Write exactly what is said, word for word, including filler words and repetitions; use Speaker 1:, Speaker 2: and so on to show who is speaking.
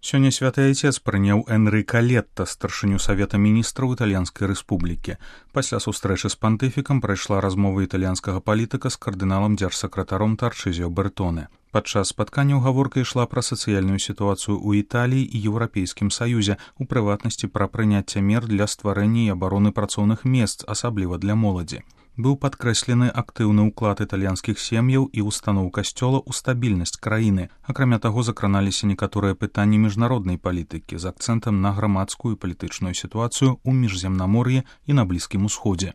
Speaker 1: Сёння святы айцец прыняў Энрыка Летта, старшыню Савета міністраў Італьянскай рэспублікі. Пасля сустрэчы з пантыфікам прайшла размова італьянскага палітыка з кардыналам дзяржсакратаром Тарчызіо Бертоне. Падчас спаткання гаворка ішла пра сацыяльную сітуацыю ў Італіі і Еўрапейскім Саюзе, у прыватнасці пра прыняцце мер для стварэння і абароны працоўных месц, асабліва для моладзі. Быў падкрэслены актыўны ўклад італьянскіх сем'яў і устаноў касцёла ў стабільнасць краіны. Акрамя таго, закраналіся некаторыя пытанні міжнароднай палітыкі з акцэнтам на грамадскую і палітычную сітуацыю ў міжземнамор'і і на Блізкім Усходзе.